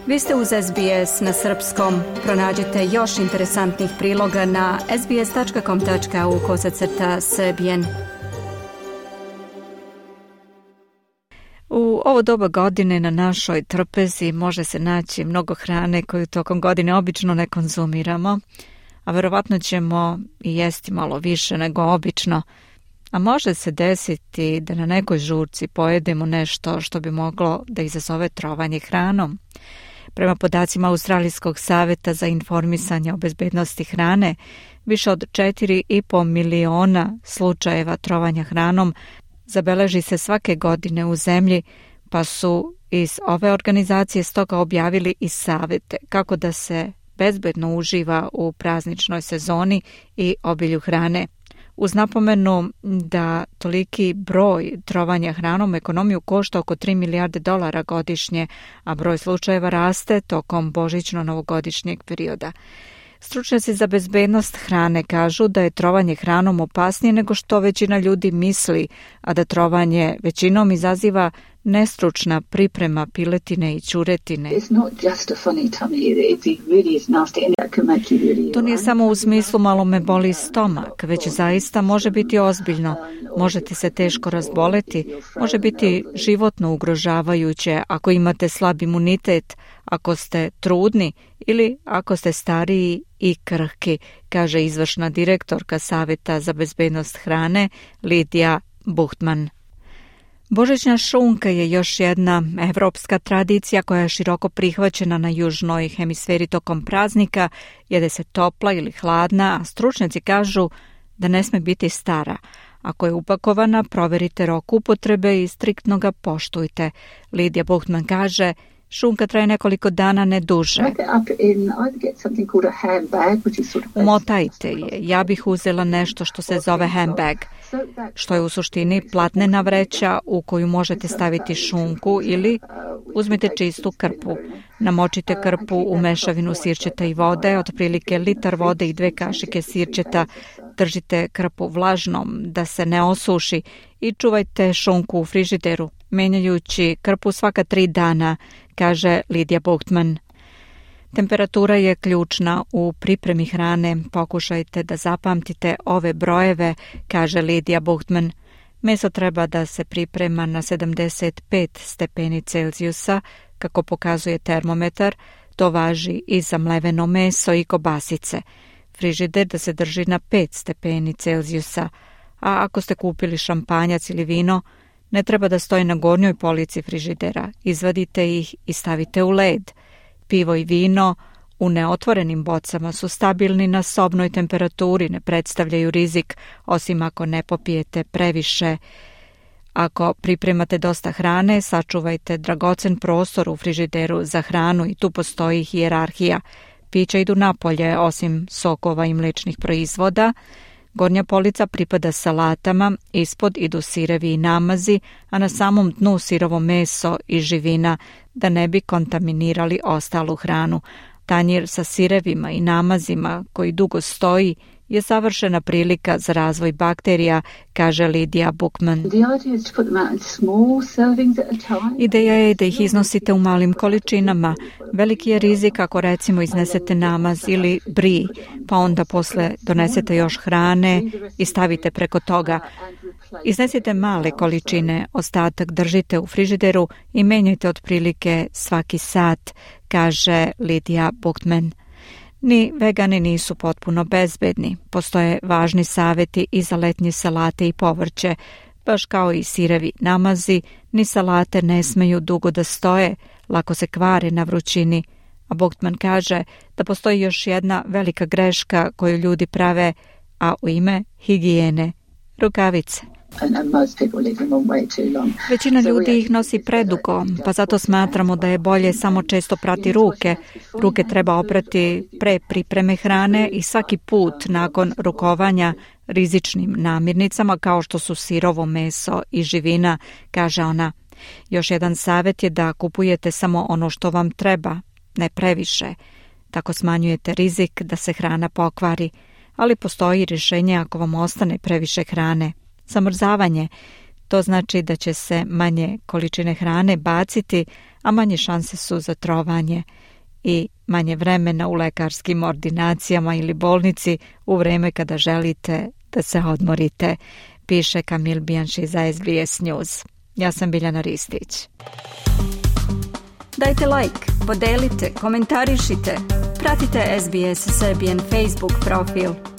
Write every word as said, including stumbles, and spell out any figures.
Vi ste uz S B S na srpskom. Pronađite još interesantnih priloga na sbs.com.au kosacrta srbijen. U ovo doba godine na našoj trpezi može se naći mnogo hrane koju tokom godine obično ne konzumiramo, a verovatno ćemo i jesti malo više nego obično. A može se desiti da na nekoj žurci pojedemo nešto što bi moglo da izazove trovanje hranom. Prema podacima Australijskog saveta za informisanje o bezbednosti hrane, više od četiri i po miliona slučajeva trovanja hranom zabeleži se svake godine u zemlji, pa su iz ove organizacije stoga objavili i savete kako da se bezbedno uživa u prazničnoj sezoni i obilju hrane. Uz napomenu da toliki broj trovanja hranom ekonomiju košta oko tri milijarde dolara godišnje, a broj slučajeva raste tokom božićno-novogodišnjeg perioda. Stručnjaci za bezbednost hrane kažu da je trovanje hranom opasnije nego što većina ljudi misli, a da trovanje većinom izaziva nestručna priprema piletine i ćuretine. To nije samo u smislu malo me boli stomak, već zaista može biti ozbiljno. Možete se teško razboleti, može biti životno ugrožavajuće ako imate slab imunitet, ako ste trudni ili ako ste stariji i krhki, kaže izvršna direktorka Saveta za bezbednost hrane Lidija Buchtman. Božićna šunka je još jedna evropska tradicija koja je široko prihvaćena na južnoj hemisferi tokom praznika. Jede se topla ili hladna, a stručnjaci kažu da ne sme biti stara. Ako je upakovana, proverite rok upotrebe i striktno ga poštujte. Lidija Buchtman kaže, šunka traje nekoliko dana, ne duže. Umotajte je. Ja bih uzela nešto što se zove handbag, što je u suštini platnena vreća u koju možete staviti šunku, ili uzmite čistu krpu. Namočite krpu u mešavinu sirćeta i vode, otprilike litar vode i dve kašike sirćeta. Držite krpu vlažnom da se ne osuši i čuvajte šunku u frižideru, menjajući krpu svaka tri dana, kaže Lidija Buchtman. Temperatura je ključna u pripremi hrane. Pokušajte da zapamtite ove brojeve, kaže Lidija Buchtman. Meso treba da se priprema na sedamdeset pet stepeni Celzijusa, kako pokazuje termometar. To važi i za mleveno meso i kobasice. Frižider da se drži na pet stepeni Celzijusa, a ako ste kupili šampanjac ili vino, ne treba da stoji na gornjoj polici frižidera. Izvadite ih i stavite u led. Pivo i vino u neotvorenim bocama su stabilni na sobnoj temperaturi, ne predstavljaju rizik, osim ako ne popijete previše. Ako pripremate dosta hrane, sačuvajte dragocen prostor u frižideru za hranu i tu postoji hijerarhija. Pića idu napolje, osim sokova i mlečnih proizvoda. Gornja polica pripada salatama, ispod idu sirevi i namazi, a na samom dnu sirovo meso i živina, da ne bi kontaminirali ostalu hranu. Tanjir sa sirevima i namazima, koji dugo stoji, je savršena prilika za razvoj bakterija, kaže Lidija Buchtman. Ideja je da ih iznosite u malim količinama. Veliki je rizik ako recimo iznesete namaz ili bri, pa onda posle donesete još hrane i stavite preko toga. Iznesite male količine, ostatak držite u frižideru i menjajte otprilike svaki sat, kaže Lidija Buchtman. Ni vegani nisu potpuno bezbedni. Postoje važni saveti i za letnje salate i povrće. Baš kao i sirevi namazi, ni salate ne smeju dugo da stoje, lako se kvare na vrućini. A Buchtman kaže da postoji još jedna velika greška koju ljudi prave, a u ime higijene – rukavice. Većina ljudi ih nosi predugo, pa zato smatramo da je bolje samo često prati ruke. Ruke treba oprati pre pripreme hrane i svaki put nakon rukovanja rizičnim namirnicama kao što su sirovo meso i živina, kaže ona. Još jedan savjet je da kupujete samo ono što vam treba, ne previše. Tako smanjujete rizik da se hrana pokvari, ali postoji rješenje ako vam ostane previše hrane. Zamrzavanje. To znači da će se manje količine hrane baciti, a manje šanse su za trovanje i manje vremena u lekarskim ordinacijama ili bolnici u vreme kada želite da se odmorite, piše Kamil Bijanši za S B S News. Ja sam Biljana Ristić. Dajte like, podelite, komentarišite, pratite S B S Serbian Facebook profil.